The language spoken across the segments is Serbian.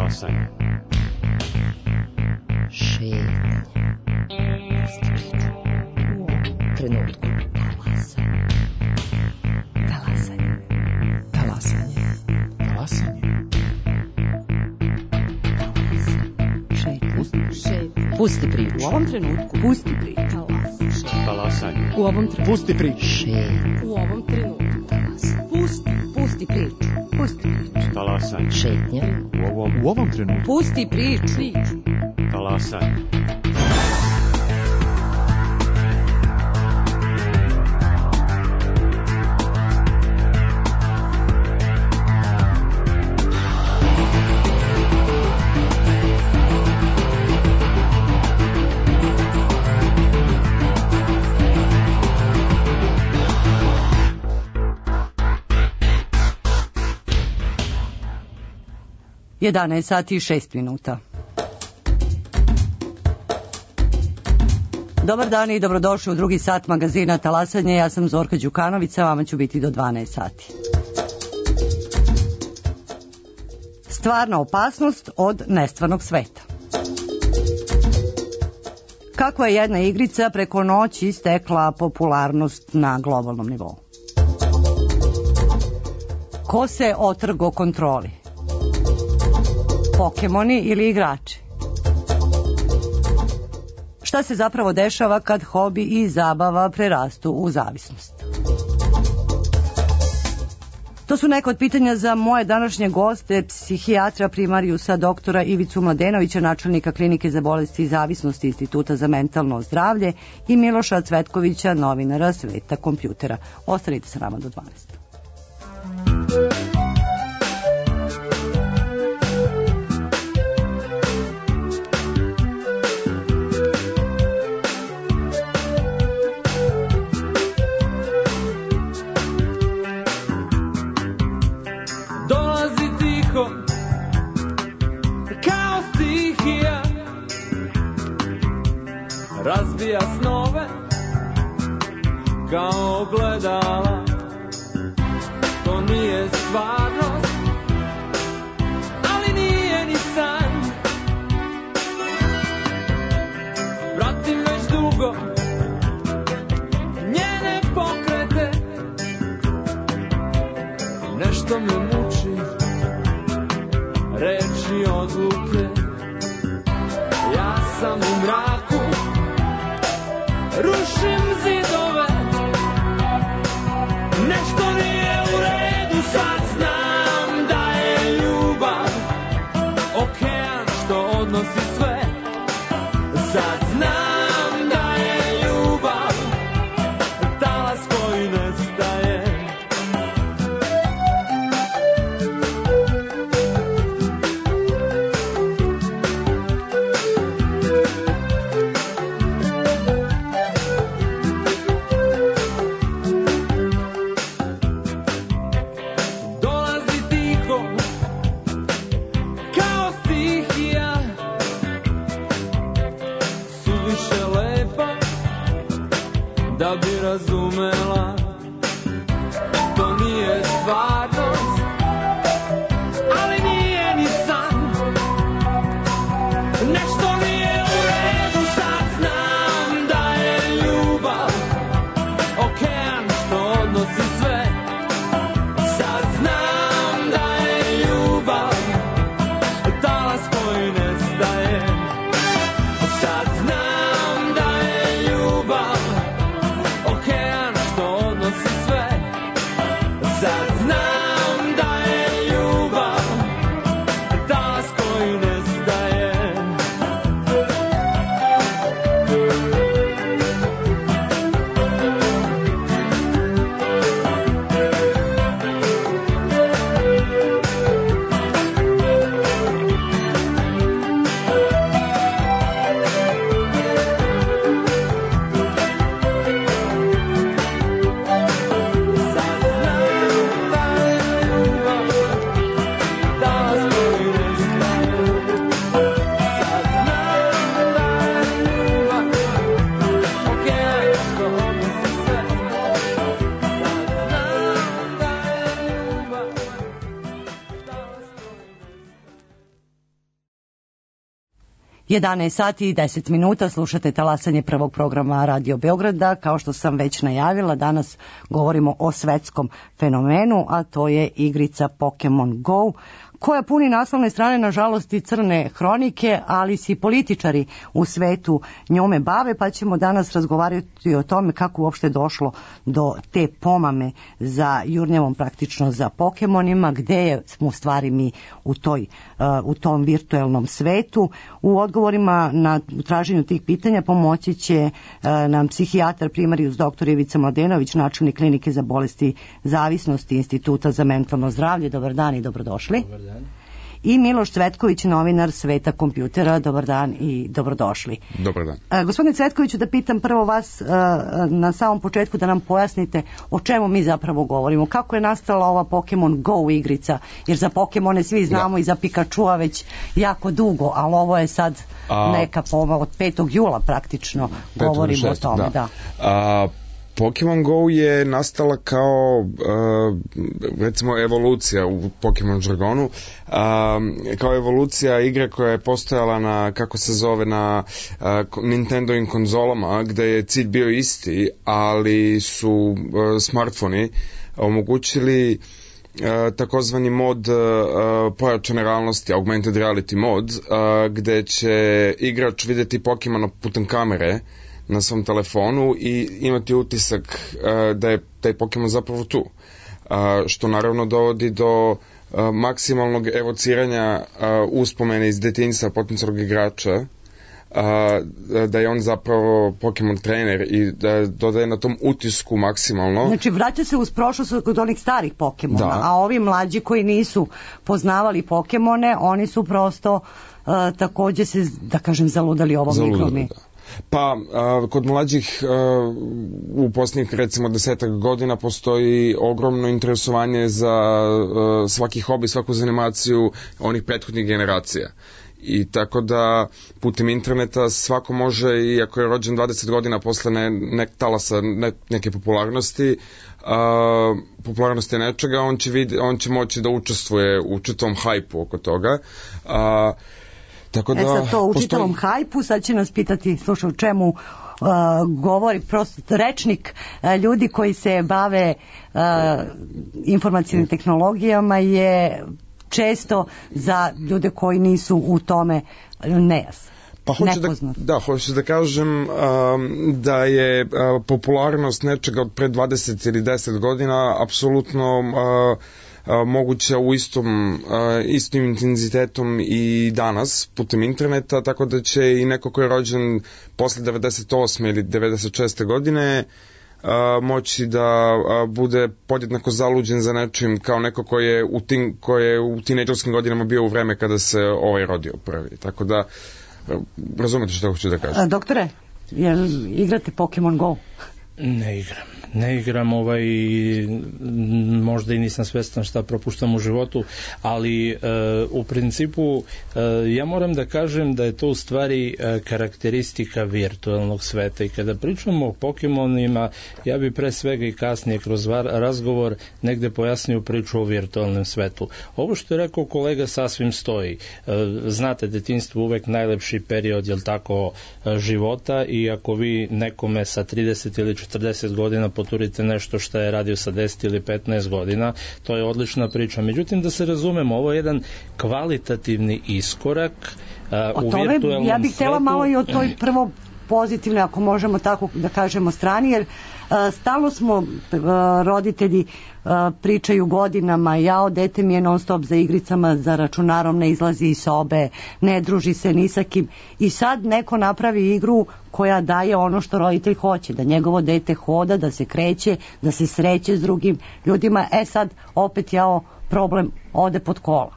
Talasanje. Šetnja. U ovom trenutku. Talasanje. Talasanje. Talasanje. Šetnja. Pusti priču. U ovom trenutku. Pusti priču. Talasanje. U ovom trenutku. Pusti priču. Šetnja. U ovom trenutku. Pusti priču. Pusti priču. Talasanje. Šetnja. U ovom trenutku. Pusti priču. Talasanje. Jedanaest sati i 6 minuta. Dobar dan i dobrodošli u drugi sat magazina Talasanje. Ja sam Zorka Đukanović, a vama ću biti do 12 sati. Stvarna opasnost od nestvarnog sveta. Kako je jedna igrica preko noći stekla popularnost na globalnom nivou? Ko se otrgo kontroli? Pokemoni ili igrači? Šta se zapravo dešava kad hobi i zabava prerastu u zavisnost? To su neka od pitanja za moje današnje goste, psihijatra primarijusa doktora Ivicu Mladenovića, načelnika klinike za bolesti i zavisnosti Instituta za mentalno zdravlje, i Miloša Cvetkovića, novinara Sveta kompjutera. Ostanite sa nama do 12. Razbija snove kao ogledala. To nije stvarnost, ali nije ni san. Pratim već dugo njene pokrete. Nešto me muči, reči odluke. Ja sam u mraku, rušim zidove. Nešto nije u redu, sad znam da je ljubav okean što odnosi sve. Sad znam da je ljubav talas koji nestaje. Da bi razumela, to nije stvarnost, ali nije ni san. Nešto nije u redu, sad znam da je ljubav okean što odnosi sve. Sad znam da je ljubav talas koji nestaje. Sad znam da je ljubav okean što 11 sati i 10 minuta, slušate talasanje prvog programa Radio Beograda. Kao što sam već najavila, danas govorimo o svetskom fenomenu, a to je igrica Pokemon Go, koja puni naslovne strane, nažalost, i crne hronike, ali se i političari u svetu njome bave, pa ćemo danas razgovarati o tome kako uopšte došlo do te pomame za jurnjavom, praktično za Pokemonima, gde smo u stvari mi u tom virtuelnom svetu. U odgovorima na traženju tih pitanja pomoći će nam psihijatar primarijus dr. Ivica Mladenović, načelnik klinike za bolesti zavisnosti Instituta za mentalno zdravlje. Dobar dan i dobrodošli. Dobar dan. I Miloš Cvetković, novinar Sveta kompjutera. Dobar dan i dobrodošli. Dobar dan. Gospodine Cvetkoviću, da pitam prvo vas na samom početku da nam pojasnite o čemu mi zapravo govorimo. Kako je nastala ova Pokemon Go igrica? Jer za Pokemone svi znamo i za Pikachua već jako dugo, ali ovo je sad neka od 5. jula praktično govorimo o tome. Da. Pokemon Go je nastala kao recimo evolucija u Pokemon žargonu, kao evolucija igre koja je postojala na, kako se zove, na Nintendovim konzolama, gde je cilj bio isti, ali su smartfoni omogućili takozvani mod pojačane realnosti, augmented reality mod, gde će igrač videti Pokemona putem kamere na svom telefonu i imati utisak da je taj Pokemon zapravo tu. Što naravno dovodi do maksimalnog evociranja uspomene iz detinjstva potencijalnog igrača, da je on zapravo Pokemon trener i da dodaje na tom utisku maksimalno. Znači vraća se uz prošlost kod onih starih Pokemona, da. A ovi mlađi koji nisu poznavali Pokemone, oni su prosto takođe se, da kažem, zaludali ovom igrom. Pa, kod mlađih u posljednjih recimo 10 godina postoji ogromno interesovanje za svaki hobi, svaku zanimaciju onih prethodnih generacija. I tako da putem interneta svako može, i ako je rođen 20 godina posle talasa neke popularnosti, nečega, on će moći da učestvuje u čitavom hajpu oko toga. Tako da, sad to u čitavom hajpu, sad će nas pitati, slušaj, o čemu govori prosto rečnik ljudi koji se bave informacijnim tehnologijama je često za ljude koji nisu u tome nejasan. Pa hoću da kažem da je popularnost nečega od pre 20 ili 10 godina apsolutno moguća u istim intenzitetom i danas putem interneta, tako da će i neko ko je rođen posle 98. ili 96. godine moći da bude podjednako zaluđen za nečim kao neko ko je u tinejdžerskim godinama bio u vreme kada se rodio prvi. Tako da razumete što hoću da kažem. Doktore, jel igrate Pokemon Go? Ne igram, možda i nisam svestan šta propuštam u životu, ali u principu ja moram da kažem da je to u stvari karakteristika virtualnog sveta, i kada pričamo o Pokemonima, ja bi pre svega i kasnije kroz razgovor negde pojasnio priču o virtualnom svetu. Ovo što je rekao kolega sasvim stoji. Znate, detinjstvo uvek najlepši period, jel tako, života, i ako vi nekome sa 30 ili 40 godina poturite nešto što je radio sa 10 ili 15 godina, to je odlična priča. Međutim, da se razumemo, ovo je jedan kvalitativni iskorak u virtualnom svetu. Ja bih htjela malo i o toj prvo pozitivnoj, ako možemo tako da kažemo, strani, jer stalno smo roditelji pričaju godinama, dete mi je non stop za igricama, za računarom, ne izlazi iz sobe, ne druži se ni sa kim, i sad neko napravi igru koja daje ono što roditelj hoće, da njegovo dete hoda, da se kreće, da se sreće s drugim ljudima. Sad opet problem ode pod kola.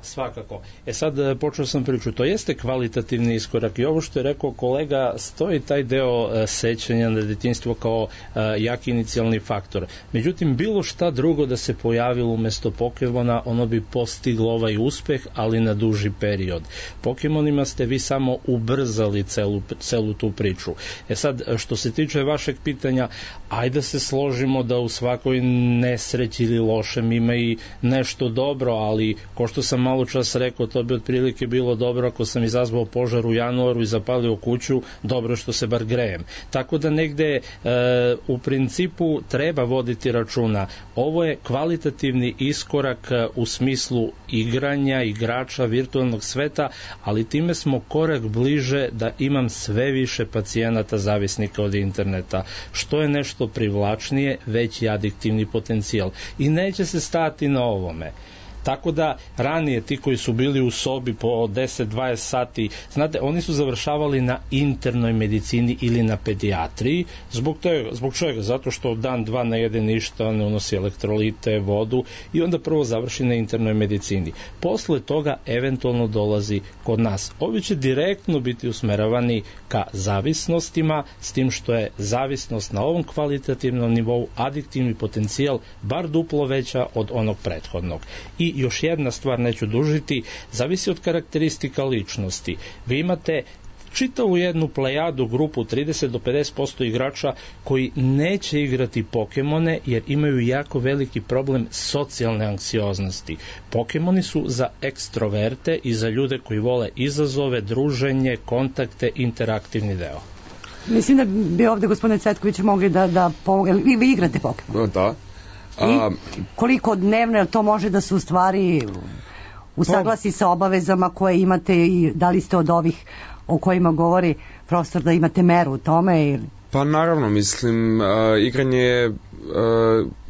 Svakako. Sad počeo sam priču, to jeste kvalitativni iskorak, i ovo što je rekao kolega, stoji taj deo sećanja na detinjstvo kao jak inicijalni faktor. Međutim, bilo šta drugo da se pojavilo umesto Pokemona, ono bi postiglo ovaj uspeh, ali na duži period. Pokemonima ste vi samo ubrzali celu tu priču. Sad, što se tiče vašeg pitanja, ajde se složimo da u svakoj nesreći ili lošem ima i nešto dobro, ali ko što sam malo malo čas rekao, to bi otprilike bilo dobro ako sam izazvao požar u januaru i zapalio kuću, dobro što se bar grejem. Tako da negde u principu treba voditi računa. Ovo je kvalitativni iskorak u smislu igranja, igrača virtualnog sveta, ali time smo korak bliže da imam sve više pacijenata zavisnika od interneta. Što je nešto privlačnije, veći adiktivni potencijal. I neće se stati na ovome. Tako da ranije ti koji su bili u sobi po 10-20 sati, znate, oni su završavali na internoj medicini ili na pedijatriji. Zbog čega? Zato što dan, dva ne jede ništa, ne unosi elektrolite, vodu i onda prvo završi na internoj medicini. Posle toga eventualno dolazi kod nas. Ovi će direktno biti usmeravani ka zavisnostima, s tim što je zavisnost na ovom kvalitativnom nivou adiktivni potencijal bar duplo veća od onog prethodnog. I još jedna stvar, neću dužiti, zavisi od karakteristika ličnosti. Vi imate čitavu jednu plejadu, grupu 30 do 50% igrača koji neće igrati Pokemone jer imaju jako veliki problem socijalne anksioznosti. Pokemoni su za ekstroverte i za ljude koji vole izazove, druženje, kontakte, interaktivni deo. Mislim da bi ovde gospodine Cvetković mogli da vi igrate Pokemon. Da. I koliko dnevno to može da se u stvari usaglasi sa obavezama koje imate i da li ste od ovih o kojima govori profesor da imate meru u tome ili? Pa naravno, mislim, igranje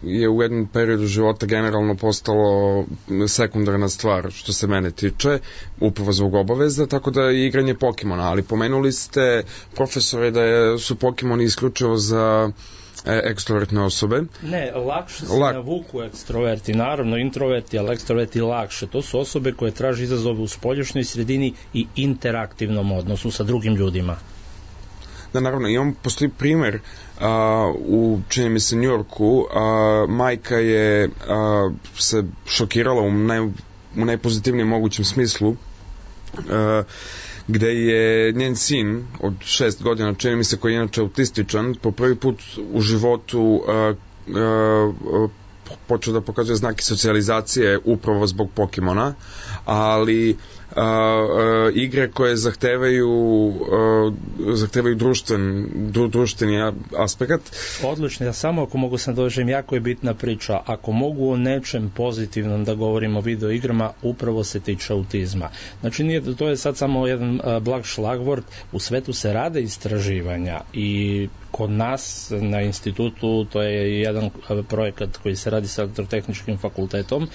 je u jednom periodu života generalno postalo sekundarna stvar što se mene tiče, upravo zbog obaveza, tako da je igranje Pokemona, ali pomenuli ste, profesore, da su Pokemoni isključivo za ekstrovertne osobe. Ne, lakše se navuku ekstroverti, naravno introverti, ali ekstroverti lakše. To su osobe koje traže izazove u spoljašnjoj sredini i interaktivnom odnosu sa drugim ljudima. Da, naravno, postoji primer u, čini mi se, New Yorku, majka je se šokirala u najpozitivnijem mogućem smislu, gde je njen sin od 6 godina, čini mi se, koji je inače autističan, po prvi put u životu počeo da pokazuje znake socijalizacije upravo zbog Pokemona, ali igre koje zahtevaju društveni aspekt. Odlično, ja samo ako mogu sam dođem, jako je bitna priča. Ako mogu o nečem pozitivnom da govorimo o videoigrama, upravo se tiče autizma. Znači, to je sad samo jedan blag šlagvort. U svetu se rade istraživanja i kod nas na institutu, to je jedan projekat koji se radi sa elektrotehničkim fakultetom,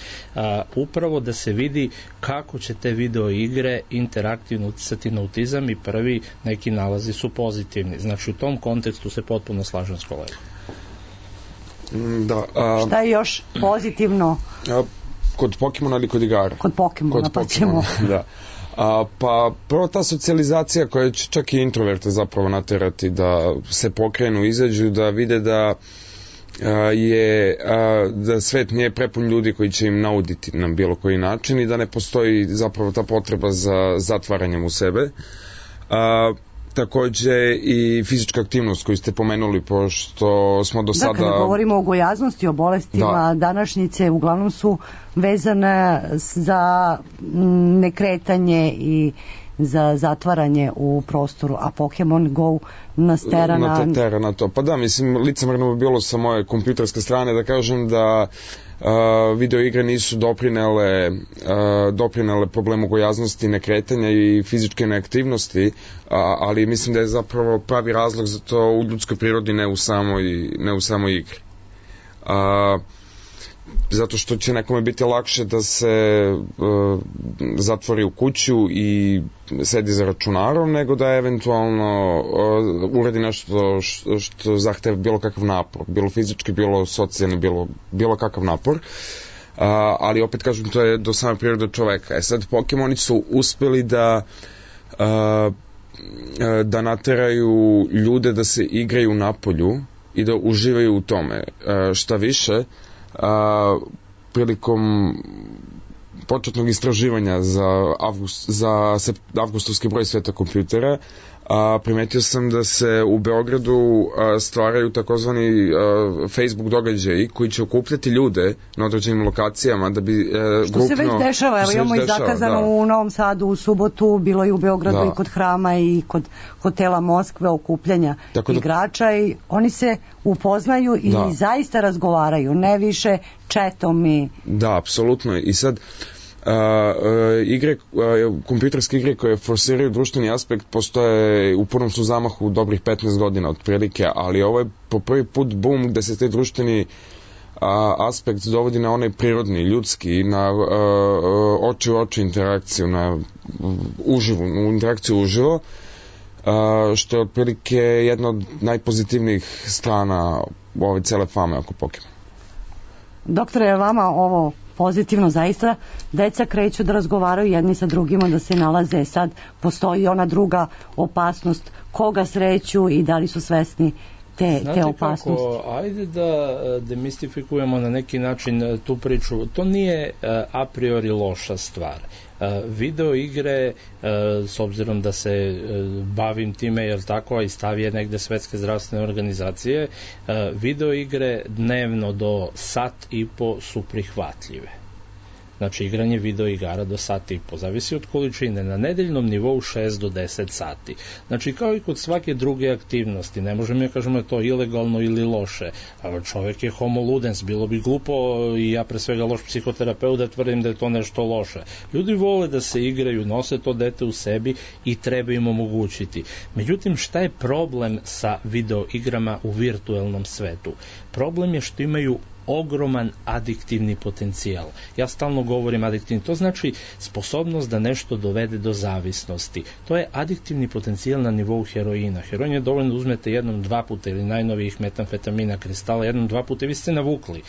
upravo da se vidi kako će te video igre interaktivno uticati na autizam i prvi neki nalazi su pozitivni. Znači u tom kontekstu se potpuno slažem s kolegom. Da, šta je još pozitivno? Kod Pokemona ili kod igara? Kod Pokemona, pa ćemo. Da. Pa prvo ta socijalizacija koja će čak i introverte zapravo naterati da se pokrenu, izađu, da vide da da svet nije prepun ljudi koji će im nauditi na bilo koji način i da ne postoji zapravo ta potreba za zatvaranjem u sebe. Takođe i fizička aktivnost koju ste pomenuli, pošto smo do sada... Da, kada govorimo o gojaznosti, o bolestima, današnjice uglavnom su vezane za nekretanje i za zatvaranje u prostoru, a Pokemon Go nas tera na to. Pa da, mislim, licemerno bi bilo sa moje kompjuterske strane da kažem da videoigre nisu doprinele problemu gojaznosti, nekretanja i fizičke neaktivnosti, ali mislim da je zapravo pravi razlog za to u ljudskoj prirodi, ne u samoj igri. Zato što će nekome biti lakše da se zatvori u kuću i sedi za računarom, nego da eventualno uradi nešto što zahteva bilo kakav napor, bilo fizički, bilo socijalni, bilo kakav napor. Ali opet kažem, to je do same prirode čoveka. Sad Pokemoni su uspeli da nateraju ljude da se igraju napolju i da uživaju u tome. Šta više, prilikom početnog istraživanja za avgustovski broj sveta kompjutera, primetio sam da se u Beogradu stvaraju takozvani Facebook događaji koji će okupljati ljude na određenim lokacijama da bi što se već dešava, evo imamo i zakazano u Novom Sadu u subotu, bilo je u Beogradu i kod Hrama i kod hotela Moskve okupljanja igrača i oni se upoznaju i zaista razgovaraju, ne više četom i... Da, apsolutno. I sad igre, kompjuterske igre koje forsiraju društveni aspekt postoje u punom su zamahu dobrih 15 godina otprilike, ali ovo je po prvi put boom gde se taj društveni aspekt dovodi na onaj prirodni, ljudski, na oči u oči interakciju, na interakciju uživo, što je otprilike jedna od najpozitivnijih strana ove cele fame oko Pokemon. Doktore, je vama ovo pozitivno zaista? Deca kreću da razgovaraju jedni sa drugima, da se nalaze. Sad postoji ona druga opasnost, koga sreću i da li su svesni te opasnosti. Kako, ajde da demistifikujemo na neki način tu priču. To nije a priori loša stvar. Video igre, s obzirom da se bavim time, jer tako, a i stav je negde Svetske zdravstvene organizacije, video igre dnevno do sat i po su prihvatljive. Znači, igranje video igara do sat i po, zavisi od količine, na nedeljnom nivou 6 do 10 sati. Znači, kao i kod svake druge aktivnosti, ne možemo ja kažemo je to ilegalno ili loše. Čovek je homo ludens, bilo bi glupo i ja pre svega loš psihoterapeut da tvrdim da je to nešto loše. Ljudi vole da se igraju, nose to dete u sebi i treba im omogućiti. Međutim, šta je problem sa video igrama u virtuelnom svetu? Problem je što imaju ogroman adiktivni potencijal. Ja stalno govorim adiktivni, to znači sposobnost da nešto dovede do zavisnosti. To je adiktivni potencijal na nivou heroina. Heroin je dovoljno da uzmete jednom, dva puta ili najnovijih metamfetamina, kristala, jednom, dva puta i vi ste navukli.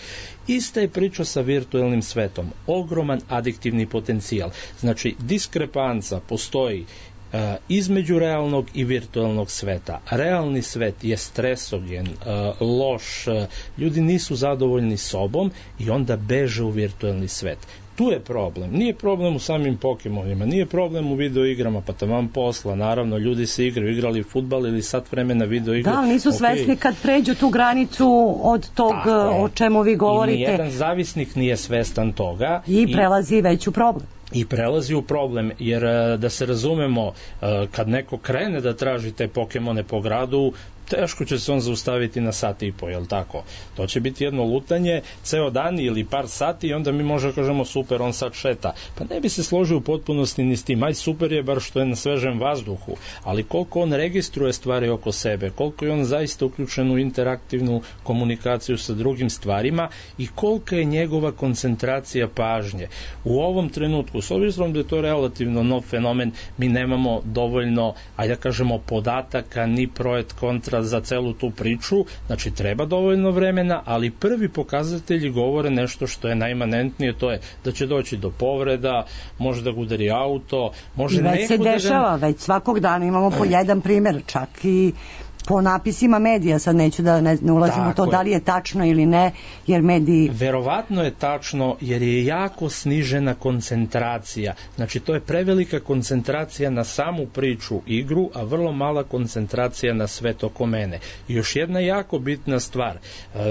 Ista je priča sa virtuelnim svetom. Ogroman adiktivni potencijal. Znači, diskrepanca postoji između realnog i virtualnog sveta. Realni svet je stresogen, loš, ljudi nisu zadovoljni sobom i onda beže u virtualni svet. Tu je problem. Nije problem u samim Pokemonima, nije problem u videoigrama, pa taman posla, naravno, ljudi se igrali fudbal ili sat vremena videoigra. Da, nisu svesni kad pređu tu granicu od tog o čemu vi govorite. I nijedan zavisnik nije svestan toga. I prelazi već u problem. I prelazi u problem, jer da se razumemo, kad neko krene da traži te Pokemone po gradu, teško će se on zaustaviti na sat i po, jel tako? To će biti jedno lutanje, ceo dan ili par sati i onda mi možemo kažemo super, on sad šeta. Pa ne bi se složio u potpunosti ni s tim, aj super je bar što je na svežem vazduhu, ali koliko on registruje stvari oko sebe, koliko je on zaista uključen u interaktivnu komunikaciju sa drugim stvarima i kolika je njegova koncentracija pažnje. U ovom trenutku, s obzirom da je to relativno nov fenomen, mi nemamo dovoljno, ajde da kažemo, podataka ni projet kontra za celu tu priču, znači treba dovoljno vremena, ali prvi pokazatelji govore nešto što je najmanentnije, to je da će doći do povreda, može da ga udari auto, može već se dešava, već svakog dana imamo po jedan primjer, čak i po napisima medija, sad neću da ne ulazim u to da li je tačno ili ne, jer mediji... Verovatno je tačno, jer je jako snižena koncentracija. Znači, to je prevelika koncentracija na samu priču, igru, a vrlo mala koncentracija na svet oko mene. I još jedna jako bitna stvar.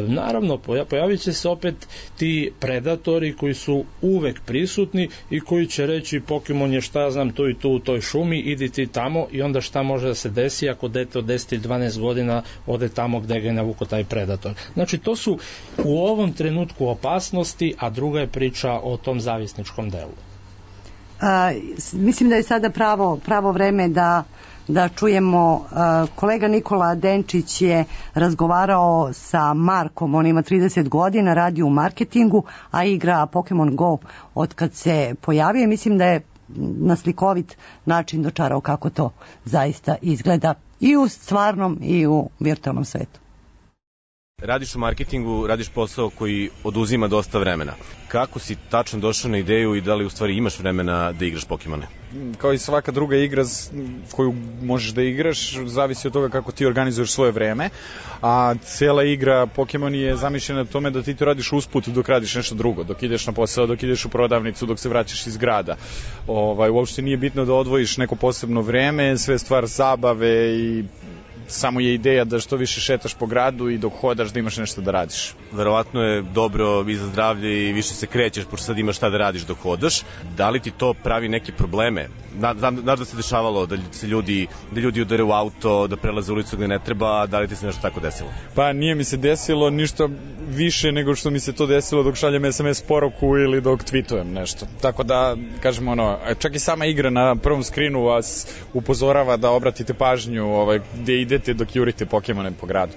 Naravno, pojavit će se opet ti predatori koji su uvek prisutni i koji će reći Pokemon je šta znam tu i tu u toj šumi, idi ti tamo i onda šta može da se desi ako dete od 10 ili 12 godina ode tamo gde ga je navuko taj predator. Znači, to su u ovom trenutku opasnosti, a druga je priča o tom zavisničkom delu. Mislim da je sada pravo vreme da čujemo, kolega Nikola Denčić je razgovarao sa Markom, on ima 30 godina, radi u marketingu, a igra Pokemon Go od kad se pojavio. Mislim da je na slikovit način dočarao kako to zaista izgleda i u stvarnom i u virtualnom svetu. Radiš u marketingu, radiš posao koji oduzima dosta vremena. Kako si tačno došao na ideju i da li u stvari imaš vremena da igraš Pokemone? Kao i svaka druga igra koju možeš da igraš, zavisi od toga kako ti organizuješ svoje vreme, a cijela igra Pokemon je zamišljena na tome da ti to radiš usput dok radiš nešto drugo, dok ideš na posao, dok ideš u prodavnicu, dok se vraćaš iz grada. Uopšte nije bitno da odvojiš neko posebno vreme, sve stvar zabave i samo je ideja da što više šetaš po gradu i dok hodaš da imaš nešto da radiš. Verovatno je dobro i za zdravlje i više se krećeš, pošto sad imaš šta da radiš dok hodaš. Da li ti to pravi neke probleme? Znaš da se dešavalo da ljudi udare u auto, da prelaze ulicu gde ne treba, da li ti se nešto tako desilo? Pa nije mi se desilo ništa više nego što mi se to desilo dok šaljem SMS poruku ili dok tweetujem nešto. Tako da, kažem čak i sama igra na prvom skrinu vas upozorava da obratite pažnju gde idete dok jurite Pokemone po gradu.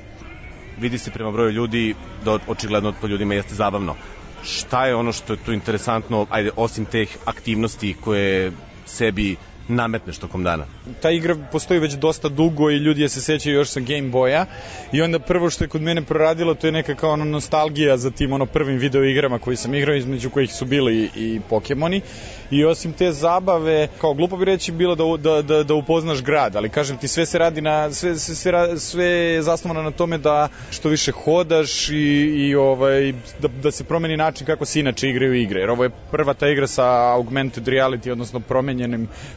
Vidi se prema broju ljudi da očigledno to ljudima jeste zabavno. Šta je ono što je tu interesantno, osim teh aktivnosti koje sebi nametneš tokom dana? Ta igra postoji već dosta dugo i ljudi je se sećaju još sa Game Boya i onda prvo što je kod mene proradilo to je neka kao nostalgija za tim prvim video igrama koji sam igrao, između kojih su bili i Pokemoni. I osim te zabave, kao glupo bi reći bilo da upoznaš grad, ali kažem ti sve se radi sve je zasnovano na tome da što više hodaš i da se promeni način kako se inače igraju igre. Jer ovo je prva ta igra sa augmented reality, odnosno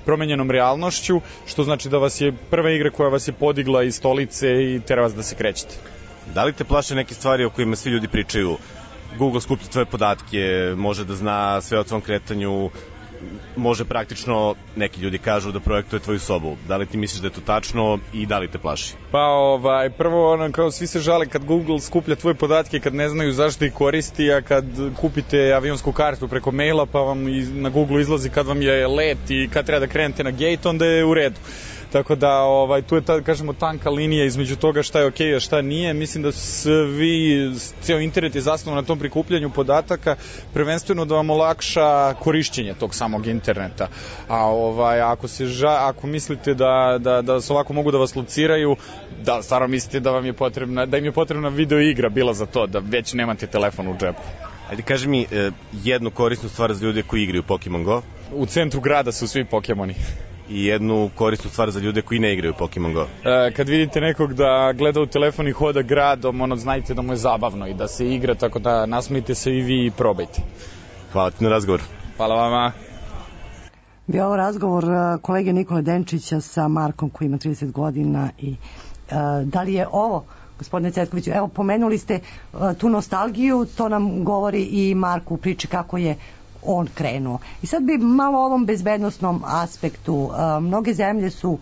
promenjenom realnošću, što znači da vas je prva igra koja vas je podigla iz stolice i tera vas da se krećete. Da li te plaše neke stvari o kojima svi ljudi pričaju? Google skuplja tvoje podatke, može da zna sve o tvom kretanju, može praktično, neki ljudi kažu da projektuje tvoju sobu. Da li ti misliš da je to tačno i da li te plaši? Pa prvo kao svi se žale kad Google skuplja tvoje podatke kad ne znaju zašto ih koristi, a kad kupite avionsku kartu preko maila pa vam na Google izlazi kad vam je let i kad treba da krenete na gate, onda je u redu. Tako da tu je kažemo tanka linija između toga šta je okej, a šta nije. Mislim da ceo internet je zasnovan na tom prikupljanju podataka, prvenstveno da vam olakša korišćenje tog samog interneta. A ako mislite da se ovako mogu da vas lociraju, da stvarno mislite da im je potrebna video igra bila za to, da već nemate telefon u džepu. Ajde, kaži mi jednu korisnu stvar za ljude koji igraju Pokemon Go. U centru grada su svi Pokemoni. I jednu korisnu stvar za ljude koji ne igraju Pokemon Go. Kad vidite nekog da gleda u telefon i hoda gradom, znajte da mu je zabavno i da se igra, tako da nasmijte se i vi i probajte. Hvala ti na razgovor. Hvala vama. Bio ovo razgovor kolege Nikole Denčića sa Markom koji ima 30 godina i da li je ovo, gospodine Cvetkoviću, evo pomenuli ste tu nostalgiju, to nam govori i Marku u priči kako je on krenuo. I sad bi malo o ovom bezbednosnom aspektu. Mnoge zemlje su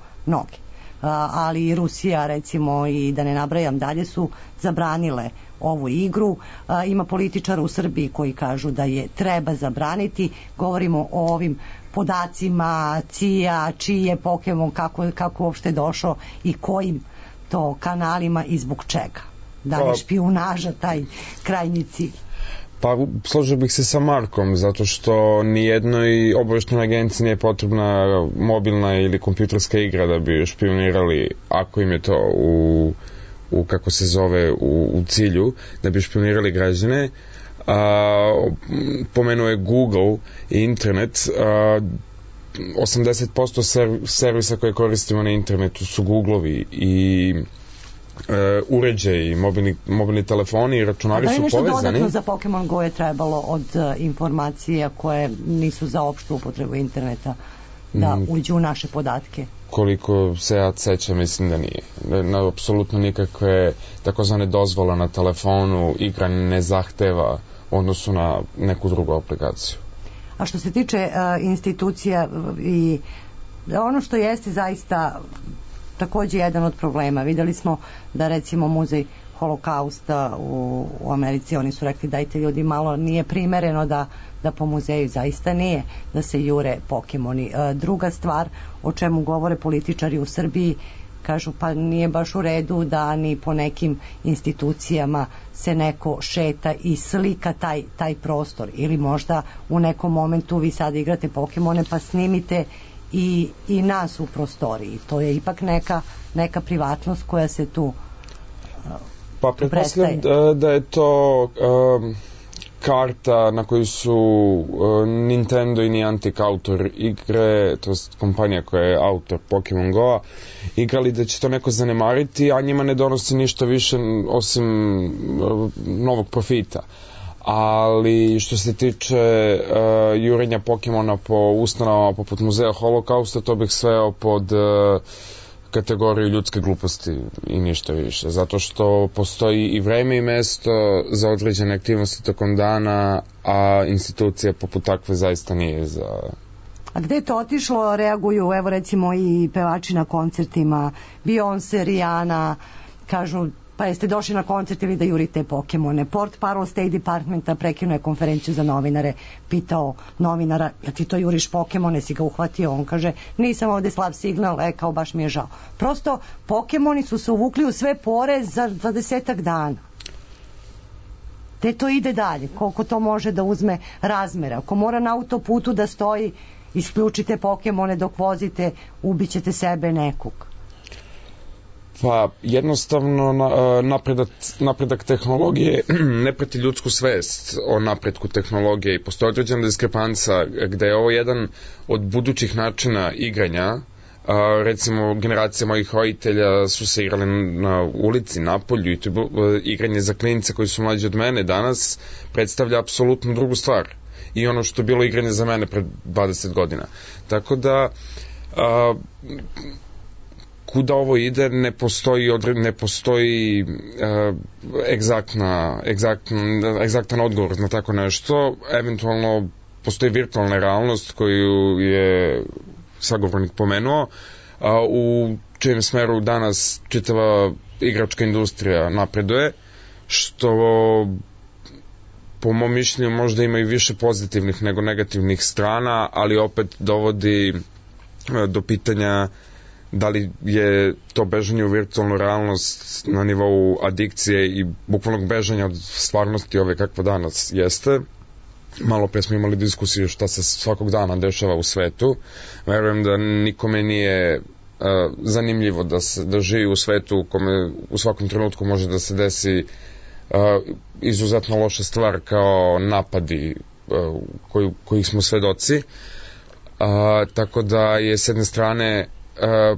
ali i Rusija recimo i da ne nabrajam dalje su zabranile ovu igru. Ima političara u Srbiji koji kažu da je treba zabraniti. Govorimo o ovim podacima CIA, čiji je Pokemon, kako uopšte došao i kojim to kanalima i zbog čega. Da li je špijunaža taj krajnji cilj? Pa složio bih se sa Markom, zato što nijednoj obaveštenoj agenciji nije potrebna mobilna ili kompjuterska igra da bi špionirali, ako im je to u kako se zove, u cilju, da bi špionirali građane. Pomenuo je Google i internet. 80% servisa koje koristimo na internetu su Googlovi i uređaji, mobilni telefoni i računari su povezani. Da li nešto dodatno za Pokemon Go je trebalo od informacija koje nisu za opštu upotrebu interneta da uđu u naše podatke? Koliko se ja sećam, mislim da nije. Apsolutno nikakve takozvane dozvole na telefonu igra ne zahteva odnosu na neku drugu aplikaciju. A što se tiče institucija i ono što jeste zaista takođe jedan od problema. Videli smo da recimo muzej Holokausta u Americi, oni su rekli dajte ljudi malo, nije primereno da po muzeju zaista nije da se jure Pokemoni. Druga stvar o čemu govore političari u Srbiji, kažu pa nije baš u redu da ni po nekim institucijama se neko šeta i slika taj prostor, ili možda u nekom momentu vi sad igrate Pokemone pa snimite i nas u prostoriji. To je ipak neka privatnost koja se tu Pa pretpostavljam da je to karta na koju su Nintendo i Niantic autor igre, to je kompanija koja je autor Pokemon Go-a, igrali da će to neko zanemariti, a njima ne donosi ništa više osim novog profita. Ali što se tiče jurenja Pokemona po ustanovama poput muzeja Holokausta, to bih sveo pod kategoriju ljudske gluposti i ništa više, zato što postoji i vreme i mesto za određene aktivnosti tokom dana, a institucija poput takve zaista nije za... A gde je to otišlo, reaguju, evo recimo i pevači na koncertima, Beyoncé, Rihanna, kažu, pa jeste došli na koncert ili da jurite Pokemone. Port Parol State Departmenta prekinuo je konferenciju za novinare, pitao novinara, ja ti to juriš Pokemone, si ga uhvatio? On kaže, nisam ovde slab signal, kao baš mi je žao. Prosto, Pokemoni su se uvukli u sve pore za 20 dana. Te to ide dalje, koliko to može da uzme razmera. Ako mora na autoputu da stoji, isključite Pokemone dok vozite, ubićete sebe nekog. Pa jednostavno napredak tehnologije ne prati ljudsku svest o napretku tehnologije i postoji određena diskrepanca gde je ovo jedan od budućih načina igranja. Recimo generacija mojih roditelja su se igrali na ulici, na polju i to igranje za klince koji su mlađi od mene danas predstavlja apsolutno drugu stvar i ono što je bilo igranje za mene pred 20 godina. Tako da kuda ovo ide, ne postoji egzaktan odgovor na tako nešto. Eventualno postoji virtualna realnost koju je sagovornik pomenuo, u čijem smeru danas čitava igračka industrija napreduje, što po mom mišljenju možda ima i više pozitivnih nego negativnih strana, ali opet dovodi do pitanja da li je to bežanje u virtualnu realnost na nivou adikcije i bukvalnog bežanja od stvarnosti ove kakva danas jeste. Malo pre smo imali diskusiju šta se svakog dana dešava u svetu. Verujem da nikome nije zanimljivo da živi u svetu u kome u svakom trenutku može da se desi izuzetno loša stvar kao napadi kojih smo svedoci. Tako da je s jedne strane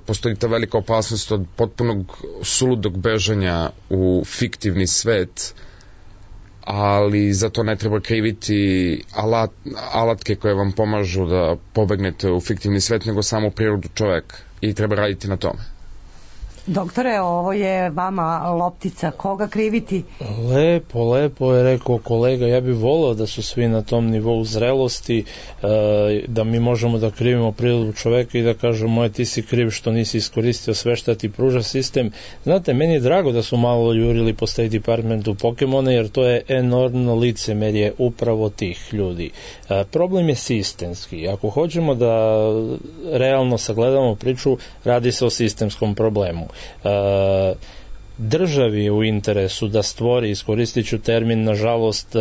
postoji ta velika opasnost od potpunog suludog bežanja u fiktivni svet, ali za to ne treba kriviti alatke koje vam pomažu da pobegnete u fiktivni svet, nego samo prirodu čoveka i treba raditi na tome. Doktore, ovo je vama loptica, koga kriviti? Lepo je rekao kolega, ja bih voleo da su svi na tom nivou zrelosti, da mi možemo da krivimo prirodu čoveka i da kažemo, ti si kriv što nisi iskoristio sve što ti pruža sistem. Znate, meni je drago da su malo jurili po State Departmentu Pokemone, jer to je enormno licemerje upravo tih ljudi. Problem je sistemski. Ako hoćemo da realno sagledamo priču, radi se o sistemskom problemu. Državi je u interesu da stvori, iskoristit ću termin nažalost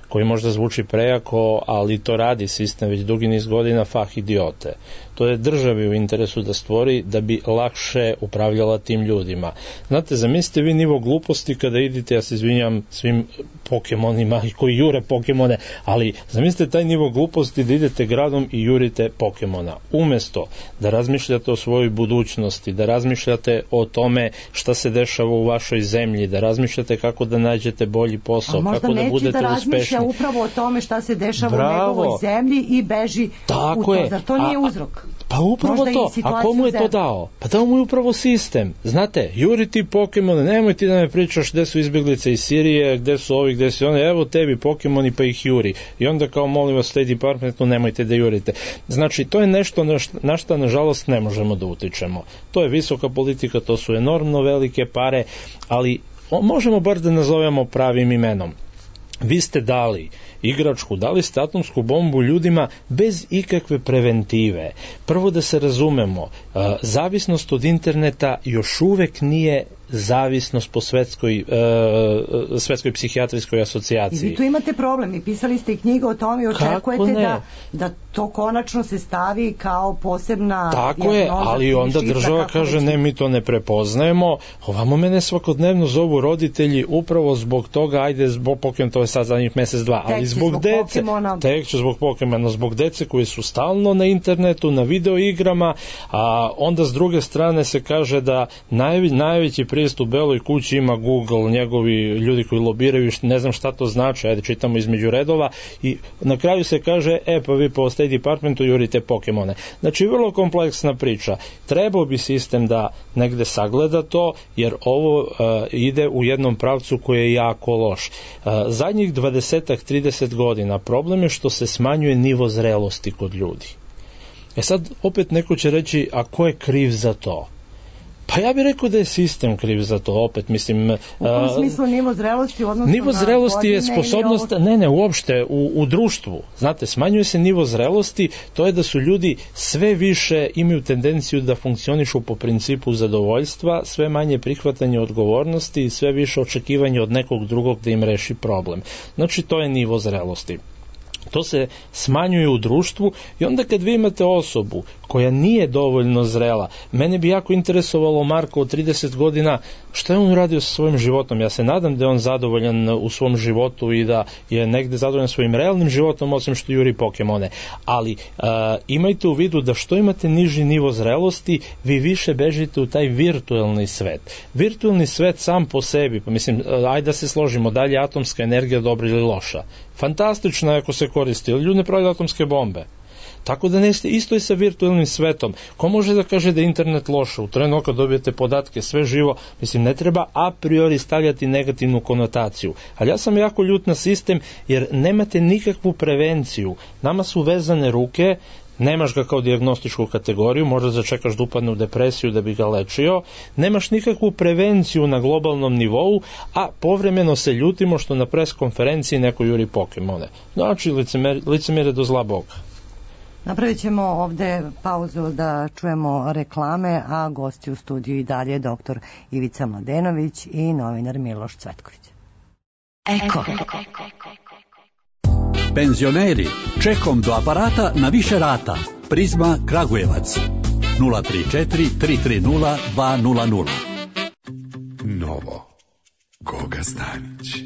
koji možda zvuči prejako, ali to radi sistem već dugi niz godina, fah idiote. To je državi u interesu da stvori da bi lakše upravljala tim ljudima. Znate, zamislite vi nivo gluposti kada idete, ja se izvinjam svim Pokemonima i koji jure Pokemone, ali zamislite taj nivo gluposti da idete gradom i jurite Pokemona. Umesto da razmišljate o svojoj budućnosti, da razmišljate o tome šta se dešava u vašoj zemlji, da razmišljate kako da nađete bolji posao, kako da budete uspešni. Upravo o tome šta se dešava u njegovoj zemlji i beži u to. Zar to nije uzrok? Pa upravo to. A komu je to dao? Pa dao mu je upravo sistem. Znate, juriti Pokemone, nemoj ti da me pričaš gde su izbjeglice iz Sirije, gde su ovi, gde su oni, evo tebi Pokemoni pa ih juri. I onda kao molim vas State Departmentu nemojte da jurite. Znači, to je nešto na što nažalost ne možemo da utičemo. To je visoka politika, to su enormno velike pare, ali možemo bar da nazovemo pravim imenom. Vi ste dali igračku, dali ste atomsku bombu ljudima bez ikakve preventive. Prvo da se razumemo, zavisnost od interneta još uvek nije zavisnost po svetskoj psihijatrijskoj asocijaciji. I vi tu imate problem i pisali ste i knjigu o tome i očekujete da to konačno se stavi kao posebna tako je, ali onda država kaže ne, mi to ne prepoznajemo. Ovamo mene svakodnevno zovu roditelji upravo zbog toga, ajde zbog Pokemona, to je sad zadnjih mesec, dva, ali zbog dece, tek će zbog Pokemona, zbog dece koji su stalno na internetu, na video igrama, a onda s druge strane se kaže da najveći pristup Beloj kući ima Google, njegovi ljudi koji lobiraju, ne znam šta to znači, ajde čitamo između redova i na kraju se kaže, pa vi po State Departmentu jurite Pokemone. Znači, vrlo kompleksna priča. Trebao bi sistem da negde sagleda to, jer ovo ide u jednom pravcu koji je jako loš. Zadnjih 20-30 godina problem je što se smanjuje nivo zrelosti kod ljudi. Sad, opet neko će reći, a ko je kriv za to? Pa ja bih rekao da je sistem kriv za to, opet mislim... U kom smislu nivo zrelosti odnosno nivo zrelosti je sposobnost, uopšte, u društvu. Znate, smanjuje se nivo zrelosti, to je da su ljudi sve više imaju tendenciju da funkcionišu po principu zadovoljstva, sve manje prihvatanje odgovornosti i sve više očekivanje od nekog drugog da im reši problem. Znači, to je nivo zrelosti. To se smanjuje u društvu i onda kad vi imate osobu koja nije dovoljno zrela, mene bi jako interesovalo Marko od 30 godina šta je on uradio sa svojim životom. Ja se nadam da je on zadovoljan u svom životu i da je negde zadovoljan svojim realnim životom osim što juri Pokemone. Ali imajte u vidu da što imate niži nivo zrelosti, vi više bežite u taj virtuelni svet. Virtuelni svet sam po sebi, pa mislim, ajde da se složimo, da li je atomska energija dobra ili loša? Fantastično je ako se koristi, ali ljudi ne pravi atomske bombe. Tako da isto i sa virtualnim svetom. Ko može da kaže da je internet loš? U trenu kad dobijete podatke, sve živo, mislim, ne treba a priori stavljati negativnu konotaciju. Ali ja sam jako ljut na sistem jer nemate nikakvu prevenciju. Nama su vezane ruke, nemaš ga kao dijagnostičku kategoriju, možda začekaš da upadne u depresiju da bi ga lečio, nemaš nikakvu prevenciju na globalnom nivou, a povremeno se ljutimo što na pres konferenciji neko juri Pokemone. Znači, licemjerje do zla Boga. Napravit ćemo ovde pauzu da čujemo reklame, a gosti u studiju i dalje dr. Ivica Mladenović i novinar Miloš Cvetković. Eko. Penzioneri, čekom do aparata na više rata. Prizma Kragujevac 034 330 200. Novo. Goga Stanić.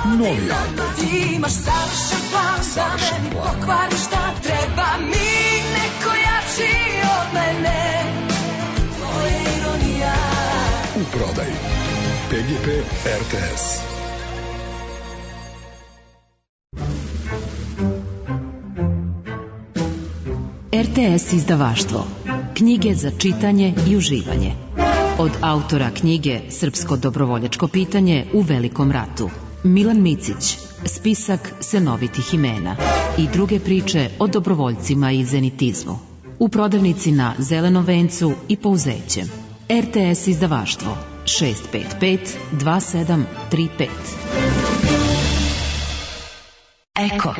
Novi album. Imaš savršen plan da meni pokvari šta treba mi neko jači od mene. To je ironija. U prodaju PGP RTS. RTS izdavaštvo. Knjige za čitanje i uživanje. Od autora knjige Srpsko dobrovoljačko pitanje u Velikom ratu. Milan Micić, spisak senovitih imena i druge priče o dobrovoljcima i zenitizmu. U prodavnici na Zelenom vencu i Pouzećem. RTS izdavaštvo 655 2735. Eko.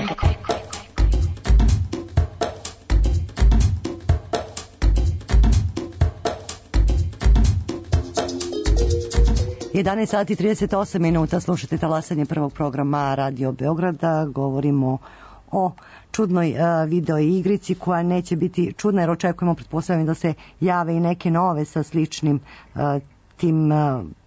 11 sati 38 minuta, slušate talasanje prvog programa Radio Beograda. Govorimo o čudnoj video igrici koja neće biti čudna jer očekujemo, pretpostavljam, da se jave i neke nove sa sličnim tim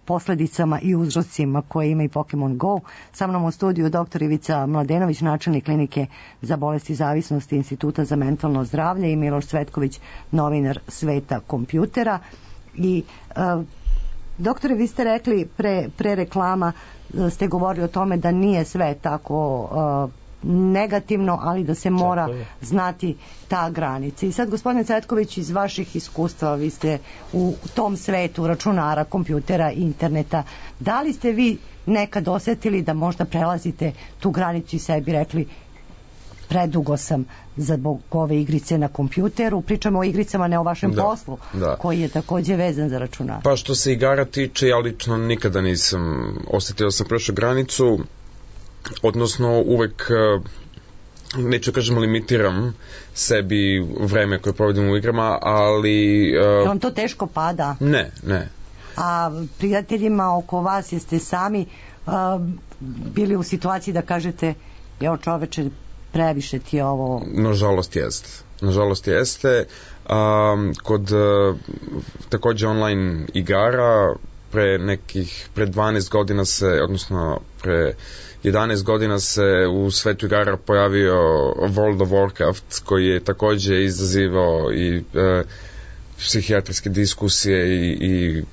posledicama i uzrocima koje ima i Pokemon Go. Sa mnom u studiju dr. Ivica Mladenović, načelnik klinike za bolesti zavisnosti Instituta za mentalno zdravlje, i Miloš Cvetković, novinar Sveta kompjutera. I doktore, vi ste rekli pre reklama, ste govorili o tome da nije sve tako negativno, ali da se mora znati ta granica. I sad, gospodine Cvetković, iz vaših iskustva, vi ste u tom svetu računara, kompjutera, interneta, da li ste vi nekad osetili da možda prelazite tu granicu i sebi rekli predugo sam zbog ove igrice na kompjuteru? Pričamo o igricama, ne o vašem poslu, koji je takođe vezan za računar. Pa što se igara tiče, ja lično nikada nisam osetio da sam prešao granicu, odnosno uvek neću kažem limitiram sebi vreme koje provodim u igrama, ali... Je vam to teško pada? Ne. A prijateljima oko vas jeste sami bili u situaciji da kažete, jao čoveče, previše ti je ovo... Nažalost jeste. Kod takođe online igara pre 12 godina se, odnosno pre 11 godina se u svetu igara pojavio World of Warcraft, koji je takođe izazivao i psihijatrijske diskusije i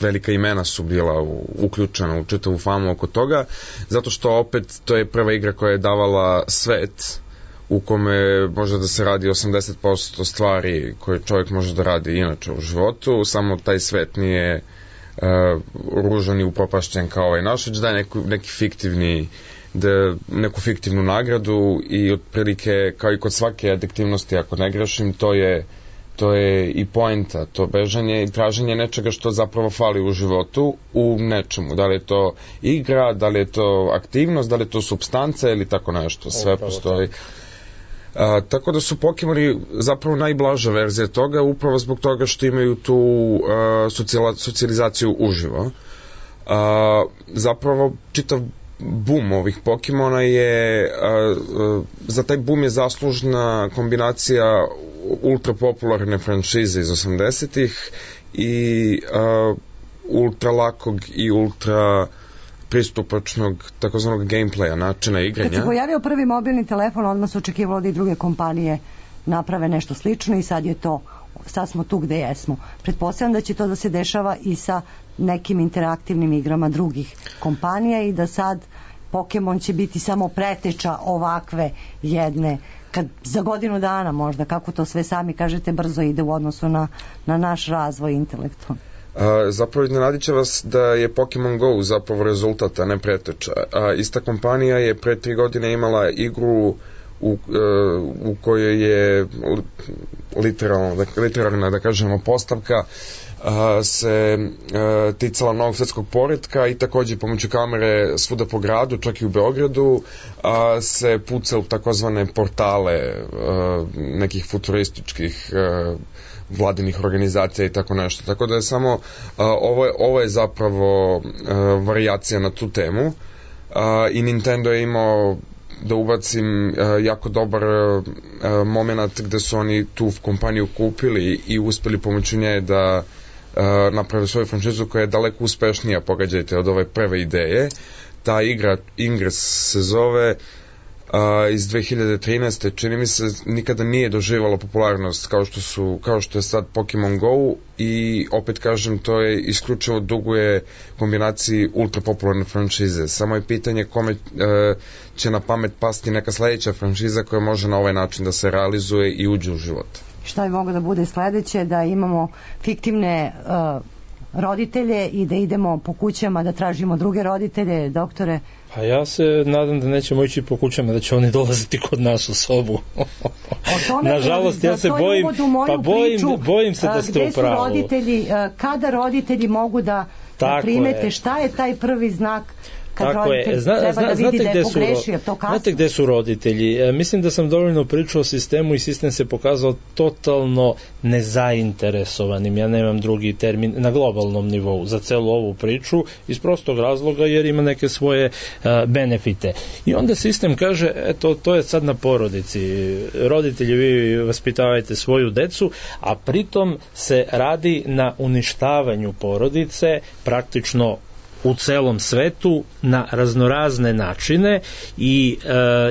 velika imena su bila uključena u čitavu famu oko toga, zato što opet to je prva igra koja je davala svet u kome može da se radi 80% stvari koje čovjek može da radi inače u životu, samo taj svet nije ružan i upropašćen kao ovaj naš, već daje neki fiktivni neku fiktivnu nagradu i otprilike kao i kod svake adiktivnosti, ako ne grešim, to je i poenta, to bežanje i traženje nečega što zapravo fali u životu u nečemu, da li je to igra, da li je to aktivnost, da li je to supstanca ili tako nešto, sve postoji. Tako da su Pokemoni zapravo najblaža verzija toga, upravo zbog toga što imaju tu socijalizaciju uživo. Zapravo čitav boom ovih Pokemona je, za taj boom je zaslužna kombinacija ultra popularne franšize iz 80-ih i ultra lakog i ultra pristupačnog takozvanog gameplaya, načina igranja. Kad se pojavio prvi mobilni telefon, odmah se očekivalo da i druge kompanije naprave nešto slično i sad smo tu gde jesmo. Pretpostavljam da će to da se dešava i sa nekim interaktivnim igrama drugih kompanija i da sad Pokemon će biti samo preteča ovakve jedne, kad za godinu dana možda, kako to sve sami kažete, brzo ide u odnosu na naš razvoj intelektualni. Zapravo iznenadit će vas da je Pokemon Go zapravo rezultat, a ne preteča. Ista kompanija je pre 3 godine imala igru u kojoj je literarna, da kažemo, postavka se ticala novog svetskog poretka i takođe pomoću kamere svuda po gradu, čak i u Beogradu, se puca u takozvane portale nekih futurističkih vladinih organizacija i tako nešto. Tako da je samo ovo je zapravo varijacija na tu temu i Nintendo je imao, da ubacim, jako dobar moment gde su oni tu kompaniju kupili i uspeli pomoću nje da naprave svoju franšizu koja je daleko uspešnija, pogađajte, od ove prve ideje. Ta igra Ingress se zove, iz 2013. čini mi se nikada nije doživjela popularnost kao što je sad Pokemon Go i opet kažem, to je isključivo duguje kombinaciji ultra popularne franšize. Samo je pitanje kome će na pamet pasti neka sledeća franšiza koja može na ovaj način da se realizuje i uđe u život. Šta bi moglo da bude sledeće? Da imamo fiktivne roditelje i da idemo po kućama da tražimo druge roditelje, doktore? Pa ja se nadam da nećemo ići po kućama, da će oni dolaziti kod nas u sobu. Nažalost, ja se bojim, bojim se da ste u pravu. Roditelji, kada roditelji mogu da primete, šta je taj prvi znak kad roditelj treba da vidi da je pogrešio, to kasno? Znate gde su roditelji? Mislim da sam dovoljno pričao o sistemu i sistem se pokazao totalno nezainteresovanim, ja nemam drugi termin, na globalnom nivou za celu ovu priču, iz prostog razloga jer ima neke svoje benefite. I onda sistem kaže, eto, to je sad na porodici. Roditelji, vi vaspitavajte svoju decu, a pritom se radi na uništavanju porodice, praktično u celom svetu na raznorazne načine i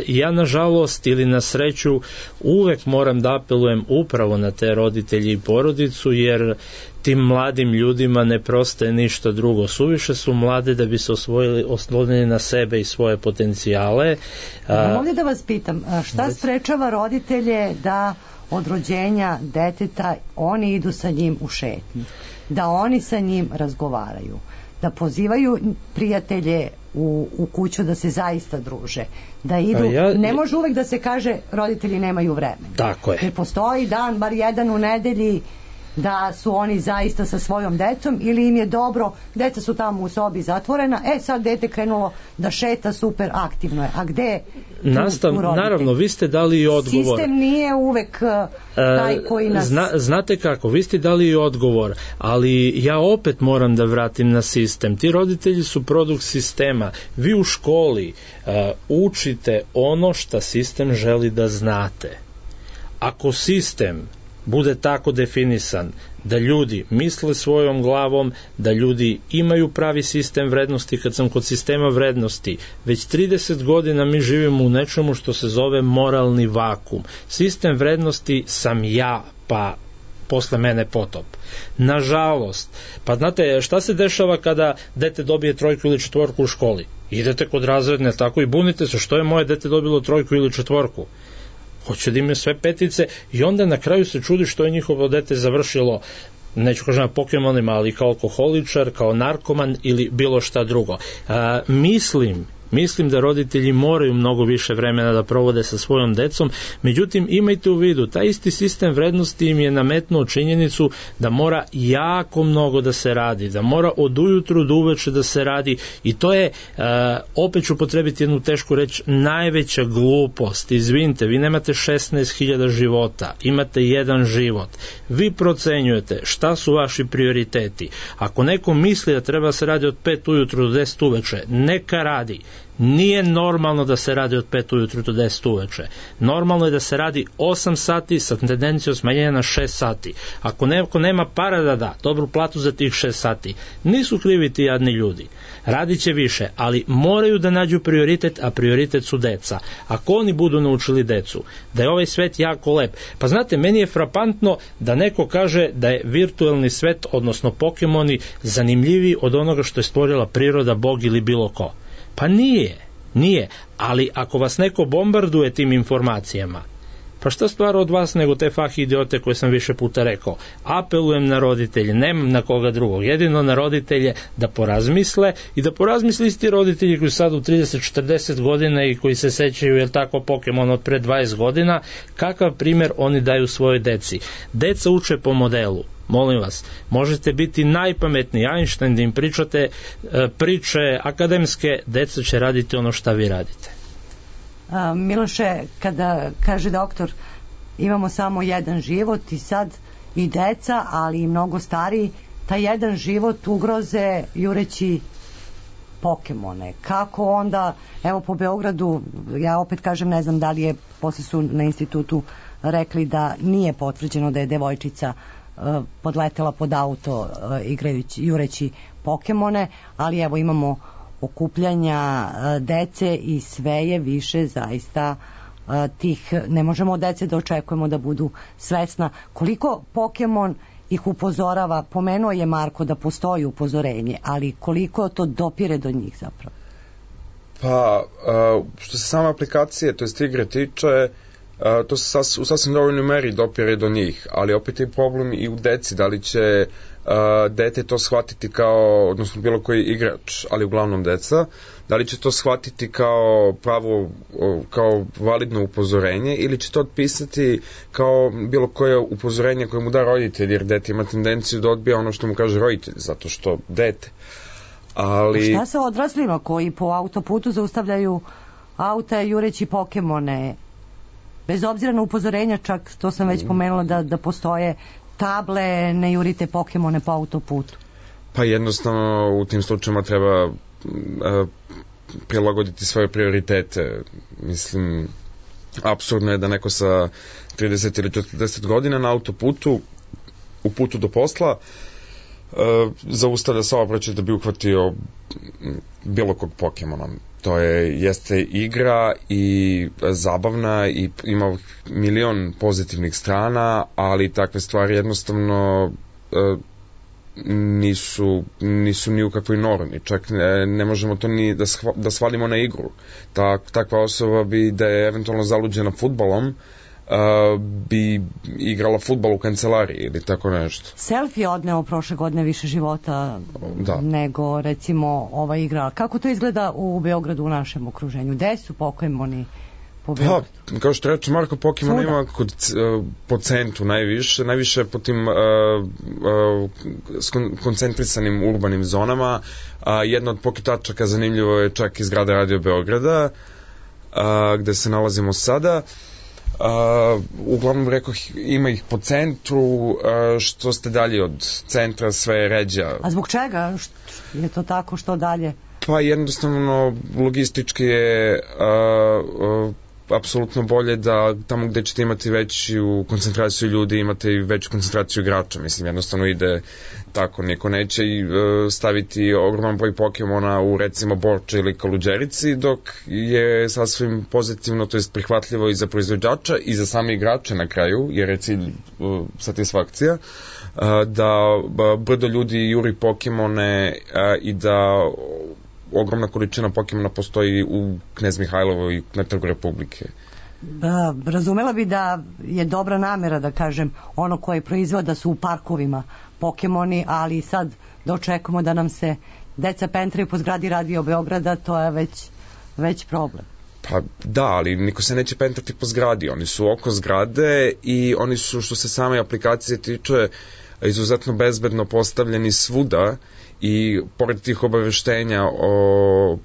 ja nažalost ili na sreću uvek moram da apelujem upravo na te roditelji i porodicu, jer tim mladim ljudima ne prostaje ništa drugo. Suviše su mlade da bi se oslonili na sebe i svoje potencijale. Mogu da vas pitam, šta sprečava roditelje da od rođenja deteta oni idu sa njim u šetnju, da oni sa njim razgovaraju, da pozivaju prijatelje u kuću da se zaista druže, da idu, ne može uvek da se kaže roditelji nemaju vremena. Tako je. Ne postoji dan, bar jedan u nedelji da su oni zaista sa svojom decom ili im je dobro, deca su tamo u sobi zatvorena, sad dete krenulo da šeta, super, aktivno je. A gde je tu roditelj? Naravno, vi ste dali i odgovor. Sistem nije uvek taj koji nas... Znate kako, vi ste dali i odgovor, ali ja opet moram da vratim na sistem. Ti roditelji su produkt sistema. Vi u školi učite ono što sistem želi da znate. Ako sistem bude tako definisan da ljudi misle svojom glavom, da ljudi imaju pravi sistem vrednosti. Kad sam kod sistema vrednosti, već 30 godina mi živimo u nečemu što se zove moralni vakum. Sistem vrednosti sam ja, pa posle mene potop. Nažalost, pa znate šta se dešava kada dete dobije 3 ili 4 u školi? Idete kod razredne, tako i bunite se, što je moje dete dobilo 3 ili 4? Hoće da imaju sve 5 i onda na kraju se čudi što je njihovo dete završilo, neću kažem na Pokemonima, ali kao alkoholičar, kao narkoman ili bilo šta drugo. Mislim da roditelji moraju mnogo više vremena da provode sa svojom decom, međutim imajte u vidu, taj isti sistem vrednosti im je nametnuo činjenicu da mora jako mnogo da se radi, da mora od ujutru do uveče da se radi i to je, opet ću potrebiti jednu tešku reč, najveća glupost. Izvinite, vi nemate 16.000 života, imate jedan život. Vi procenjujete šta su vaši prioriteti. Ako neko misli da treba se radi od 5 ujutru do 10 uveče, neka radi. Nije normalno da se radi od 5 ujutru do 10 uveče. Normalno je da se radi 8 sati sa tendencijom smanjenja na 6 sati. Ako neko nema para da da dobru platu za tih 6 sati, nisu krivi ti jadni ljudi. Radit će više, ali moraju da nađu prioritet, a prioritet su deca. Ako oni budu naučili decu da je ovaj svet jako lep, pa znate, meni je frapantno da neko kaže da je virtuelni svet, odnosno Pokemoni, zanimljiviji od onoga što je stvorila priroda, Bog ili bilo ko. Pa nije, ali ako vas neko bombarduje tim informacijama, pa šta stvar od vas nego te fah idiote koje sam više puta rekao. Apelujem na roditelje, nemam na koga drugog, jedino na roditelje da porazmisle i da porazmisle isti roditelji koji su sad u 30-40 godina i koji se sećaju, jel tako, Pokemon od pre 20 godina, kakav primjer oni daju svojoj deci. Deca uče po modelu. Molim vas, možete biti najpametniji Einstein da im pričate priče akademske, deca će raditi ono šta vi radite. Miloše, kada kaže doktor imamo samo jedan život i sad i deca, ali i mnogo stariji, taj jedan život ugroze jureći Pokemone. Kako onda, evo po Beogradu, ja opet kažem, ne znam da li je, posle su na institutu rekli da nije potvrđeno da je devojčica podletela pod auto jureći Pokemone, ali evo imamo okupljanja dece i sve je više zaista tih, ne možemo od dece da očekujemo da budu svesna koliko Pokemon ih upozorava. Pomenuo je Marko da postoji upozorenje, ali koliko to dopire do njih zapravo? Pa, što se sama aplikacije, to jest igre tiče, to se u sasvim dovoljnoj meri dopire do njih, ali opet je problem i u deci, da li će dete to shvatiti kao, odnosno bilo koji igrač, ali uglavnom deca, da li će to shvatiti kao pravo, kao validno upozorenje ili će to otpisati kao bilo koje upozorenje koje mu da roditelj, jer dete ima tendenciju da odbija ono što mu kaže roditelj, zato što dete. Ali... Šta sa odraslima koji po autoputu zaustavljaju auta jureći Pokemone? Bez obzira na upozorenja, čak to sam već pomenula da postoje table, ne jurite Pokemone po autoputu. Pa jednostavno u tim slučajima treba prilagoditi svoje prioritete. Mislim, apsurdno je da neko sa 30 ili 40 godina na autoputu, u putu do posla, zaustavlja saobraćaj da bi uhvatio bilo kog Pokemona. To jeste igra i zabavna i ima milion pozitivnih strana, ali takve stvari jednostavno nisu ni u kakvoj normi. Čak ne možemo to ni da svalimo na igru. Takva osoba bi, da je eventualno zaluđena fudbalom, bi igrala fudbal u kancelariji ili tako nešto. Selfie je odneo prošle godine više života nego recimo ova igra. Kako to izgleda u Beogradu u našem okruženju? Gde su Pokemoni po Beogradu? Pa, kao što reče Marko, Pokemon ima po centru najviše po tim koncentrisanim urbanim zonama. Jedna od poketačaka zanimljivo je čak iz grada Radio Beograda, gde se nalazimo sada. Uglavnom rekoh, ima ih po centru, što ste dalje od centra sve je ređa. A zbog čega je to tako, što dalje? Pa jednostavno logistički je apsolutno bolje da tamo gde ćete imati veću koncentraciju ljudi imate i veću koncentraciju igrača. Mislim, jednostavno ide tako, niko neće staviti ogroman broj Pokemona u recimo Borče ili Kaluđerici, dok je sasvim pozitivno, to je prihvatljivo i za proizvođača i za same igrače na kraju, jer je cilj satisfakcija, da brdo ljudi juri Pokemone i da ogromna količina Pokemona postoji u Knez Mihajlovoj i na Trgu Republike. Razumela bi da je dobra namera, da kažem, ono koje proizvoda su u parkovima Pokemoni, ali sad da očekujemo da nam se deca pentraju po zgradi Radio Beograda, to je već problem. Pa da, ali niko se neće pentrati po zgradi, oni su oko zgrade i oni su, što se same aplikacije tiče, izuzetno bezbedno postavljeni svuda i pored tih obaveštenja o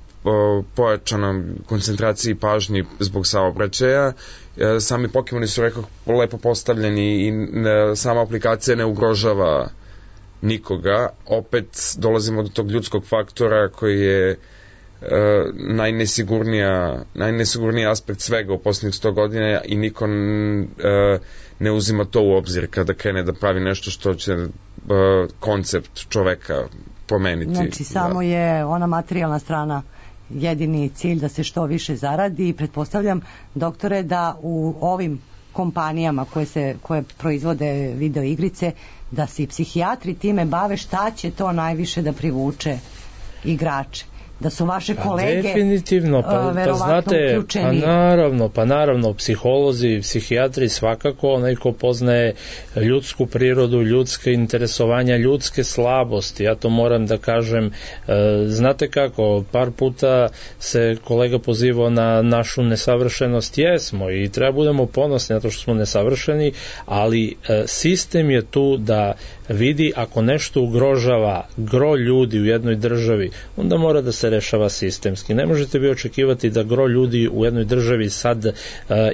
pojačanom koncentraciji pažnji zbog saobraćaja, sami Pokemoni su, rekao, lepo postavljeni i sama aplikacija ne ugrožava nikoga. Opet dolazimo do tog ljudskog faktora koji je najnesigurniji aspekt svega u posljednjih 100 godina i niko ne uzima to u obzir kada krene da pravi nešto što će koncept čoveka promeniti. Znači samo je ona materijalna strana jedini cilj, da se što više zaradi, i pretpostavljam, doktore, da u ovim kompanijama koje proizvode video igrice, da se i psihijatri time bave šta će to najviše da privuče igrače. Da su vaše kolege definitivno, verovatno znate, uključeni. Pa naravno, psiholozi, psihijatri, svakako onaj ko poznaje ljudsku prirodu, ljudske interesovanja, ljudske slabosti. Ja to moram da kažem, znate kako, par puta se kolega pozivao na našu nesavršenost, jesmo i treba budemo ponosni na to što smo nesavršeni, ali sistem je tu da vidi ako nešto ugrožava gro ljudi u jednoj državi, onda mora da se rešava sistemski. Ne možete vi očekivati da gro ljudi u jednoj državi sad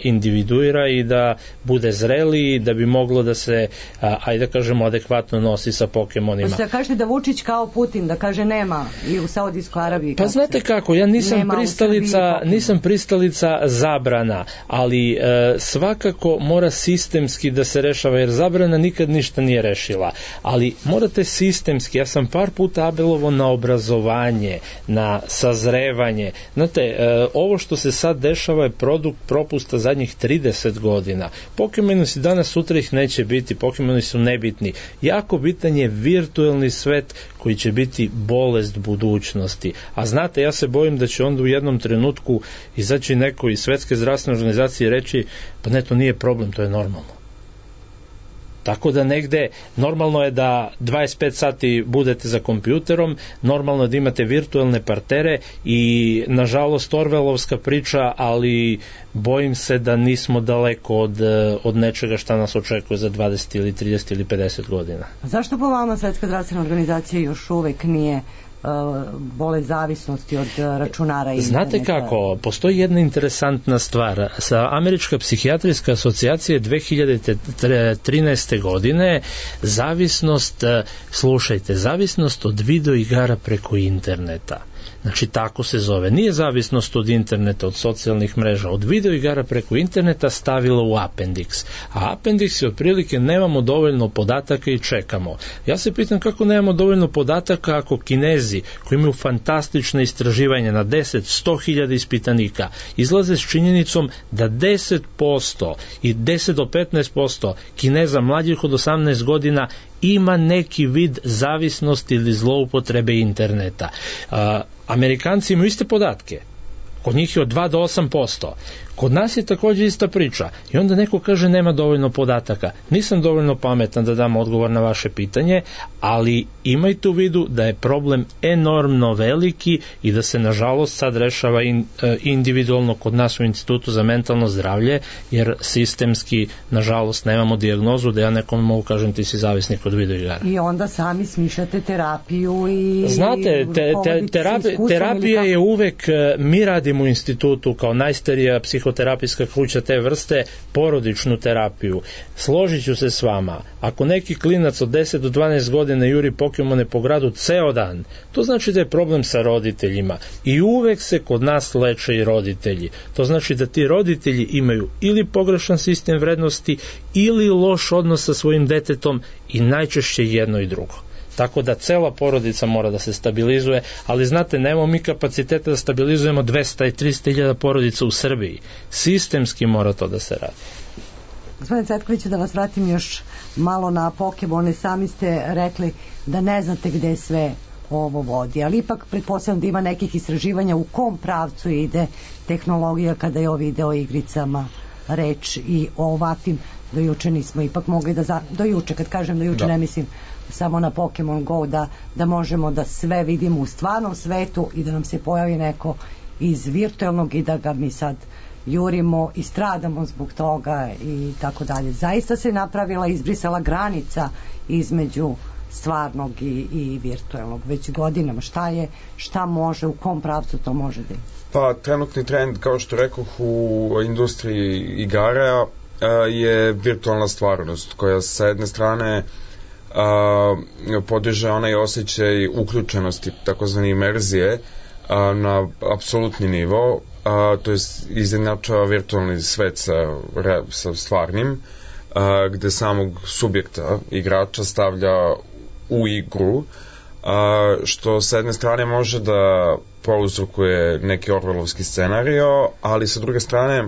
individuira i da bude zreli, da bi moglo da se, ajde da kažemo, adekvatno nosi sa Pokemonima. Možete da kažete da Vučić kao Putin, da kaže nema i u Saudijskoj Arabiji. Pa znate kako, ja nisam pristalica zabrana, ali svakako mora sistemski da se rešava, jer zabrana nikad ništa nije rešila. Ali morate sistemski, ja sam par puta apelovao na obrazovanje, na sazrevanje. Znate, ovo što se sad dešava je produkt propusta zadnjih 30 godina. Pokemoni su danas, sutra ih neće biti, Pokemoni su nebitni. Jako bitan je virtuelni svet koji će biti bolest budućnosti. A znate, ja se bojim da će onda u jednom trenutku izaći neko iz Svetske zdravstvene organizacije i reći, pa ne, to nije problem, to je normalno. Tako da negde, normalno je da 25 sati budete za kompjuterom, normalno je da imate virtualne partere i nažalost Orwellovska priča, ali bojim se da nismo daleko od nečega šta nas očekuje za 20 ili 30 ili 50 godina. A zašto po vama Svetska zdravstvena organizacija još uvek nije bolest zavisnosti od računara i interneta? Znate kako, postoji jedna interesantna stvar. Američka psihijatrijska asocijacija je 2013. godine zavisnost od video igara preko interneta. Znači, tako se zove. Nije zavisnost od interneta, od socijalnih mreža, od video igara preko interneta stavila u Appendix. A Appendix je otprilike nemamo dovoljno podataka i čekamo. Ja se pitam kako nemamo dovoljno podataka ako Kinezi, koji imaju fantastične istraživanja na 10-100.000 ispitanika, izlaze s činjenicom da 10% i 10 do 15% Kineza mlađih od 18 godina ima neki vid zavisnosti ili zloupotrebe interneta. Amerikanci imaju iste podatke. Kod njih je od 2 do 8%. Kod nas je takođe ista priča i onda neko kaže nema dovoljno podataka. Nisam dovoljno pametan da dam odgovor na vaše pitanje, ali imajte u vidu da je problem enormno veliki i da se nažalost sad rešava individualno kod nas u Institutu za mentalno zdravlje, jer sistemski nažalost nemamo dijagnozu da ja nekome mogu kažem ti si zavisnik od videoigara. I onda sami smišljate terapiju i... Znate, terapija je uvek, mi radimo u institutu kao najstarija psihoterapijska kuća te vrste, porodičnu terapiju. Složit ću se s vama, ako neki klinac od 10 do 12 godina juri Pokemone po gradu ceo dan, to znači da je problem sa roditeljima i uvek se kod nas leče i roditelji. To znači da ti roditelji imaju ili pogrešan sistem vrednosti ili loš odnos sa svojim detetom i najčešće jedno i drugo. Tako da cela porodica mora da se stabilizuje, ali znate, nemamo mi kapaciteta da stabilizujemo 200 i 300 hiljada porodica u Srbiji. Sistemski mora to da se radi. Gospodine Cvetkoviću, da vas vratim još malo na Pokemone. Sami ste rekli da ne znate gde sve ovo vodi, ali ipak pretpostavljam da ima nekih istraživanja u kom pravcu ide tehnologija kada je o video igricama reč i o ovakvim. Do juče nismo ipak mogli do juče, kad kažem do juče ne mislim samo na Pokemon Go, da možemo da sve vidimo u stvarnom svetu i da nam se pojavi neko iz virtualnog i da ga mi sad jurimo i stradamo zbog toga i tako dalje. Zaista se napravila, izbrisala granica između stvarnog i virtualnog već godinama. Šta može, u kom pravcu to može da je? Pa trenutni trend, kao što rekoh, u industriji igara je virtualna stvarnost koja sa jedne strane podiže onaj osjećaj uključenosti, takozvani imerzije, na apsolutni nivo, to je izjednačava virtualni svet sa stvarnim, gde samog subjekta, igrača, stavlja u igru, što sa jedne strane može da prouzrokuje neki orwellovski scenario, ali sa druge strane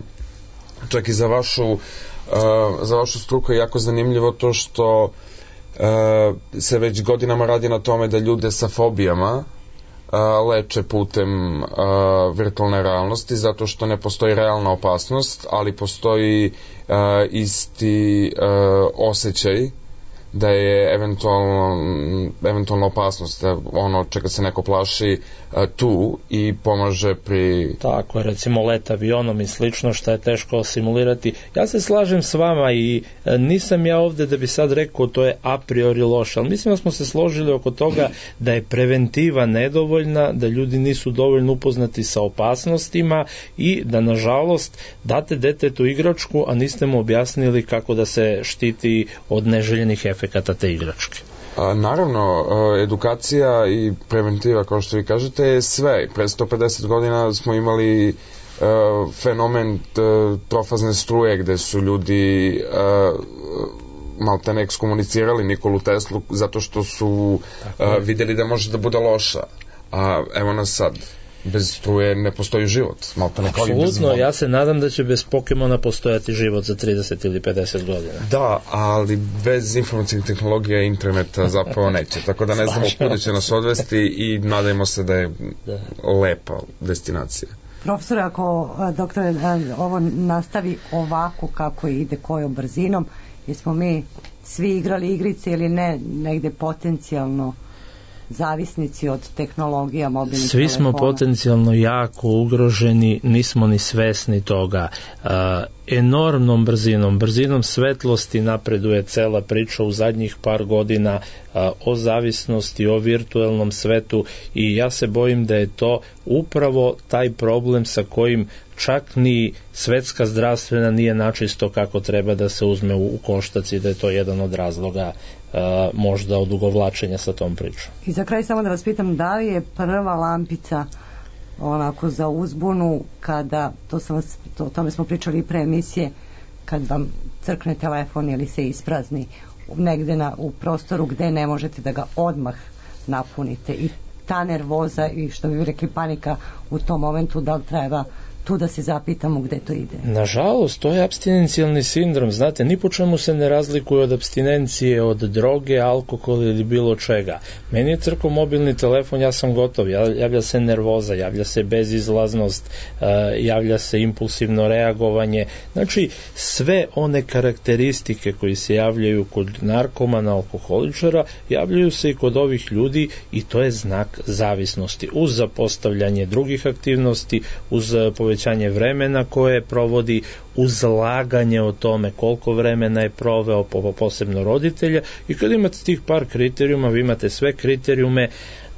čak i za vašu struku je jako zanimljivo to što se već godinama radi na tome da ljude sa fobijama leče putem virtualne realnosti, zato što ne postoji realna opasnost, ali postoji isti osjećaj da je eventualna opasnost, ono čega se neko plaši tu i pomaže pri... Tako je, recimo let avionom i slično, što je teško simulirati. Ja se slažem s vama i nisam ja ovde da bi sad rekao to je a priori loše, ali mislim da smo se složili oko toga da je preventiva nedovoljna, da ljudi nisu dovoljno upoznati sa opasnostima i da nažalost date detetu igračku, a niste mu objasnili kako da se štiti od neželjenih efekata te igračke. Naravno, edukacija i preventiva, kao što vi kažete, je sve. Pre 150 godina smo imali fenomen trofazne struje, gde su ljudi maltene ekskomunicirali Nikolu Teslu zato što su videli da može da bude loša. A evo nas sad. Bez struje ne postoji život. Apsolutno, ja se nadam da će bez Pokemona postojati život za 30 ili 50 godina. Da, ali bez informacijnih tehnologija i interneta zapravo neće. Tako da ne znamo kuda će nas odvesti i nadajmo se da je lepa destinacija. Profesor, ako doktore, ovo nastavi ovako kako ide, kojom brzinom, jesmo mi svi igrali igrice ili ne, negde potencijalno zavisnici od tehnologija, mobilnih telefona? Svi smo potencijalno jako ugroženi, nismo ni svesni toga. Enormnom brzinom svetlosti napreduje cela priča u zadnjih par godina o zavisnosti, o virtualnom svetu i ja se bojim da je to upravo taj problem sa kojim čak ni svetska zdravstvena nije načisto kako treba da se uzme u koštac i da je to jedan od razloga možda odugovlačenja sa tom pričom. I za kraj samo da vas pitam, da li je prva lampica onako za uzbunu kada, o tome smo pričali i pre emisije, kad vam crkne telefon ili se isprazni negde u prostoru gde ne možete da ga odmah napunite i ta nervoza i što bi rekli panika u tom momentu, da li treba tu da se zapitamo gde to ide. Nažalost, to je apstinencijalni sindrom, znate, ni po čemu se ne razlikuje od apstinencije, od droge, alkohola ili bilo čega. Meni je crko mobilni telefon, ja sam gotov, javlja se nervoza, javlja se bezizlaznost, javlja se impulsivno reagovanje, znači sve one karakteristike koji se javljaju kod narkomana, alkoholičara, javljaju se i kod ovih ljudi i to je znak zavisnosti. Uz zapostavljanje drugih aktivnosti, uz povećanje vremena koje provodi, uz laganje o tome koliko vremena je proveo, posebno roditelja, i kad imate tih par kriterijuma, vi imate sve kriterijume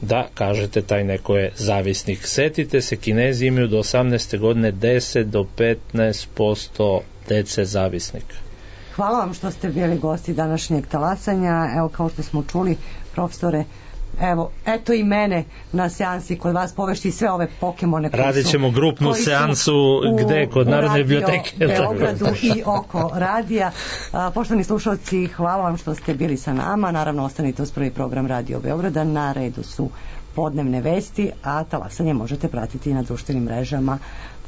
da kažete taj neko je zavisnik. Setite se, Kinezi imaju do 18. godine 10 do 15% dece zavisnika. Hvala vam što ste bili gosti današnjeg talasanja. Evo, kao što smo čuli, profesore, evo, eto i mene na seansi kod vas povešti sve ove Pokemone koji radit ćemo grupnu seansu gde? Kod Narodne biblioteke Beogradu i oko radija. Poštovani slušalci, hvala vam što ste bili sa nama. Naravno, ostanite uz prvi program Radio Beograda. Na redu su podnevne vesti, a talasanje možete pratiti na društvenim mrežama,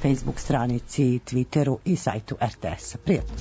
Facebook stranici, Twitteru i sajtu RTS-a. Prijatno.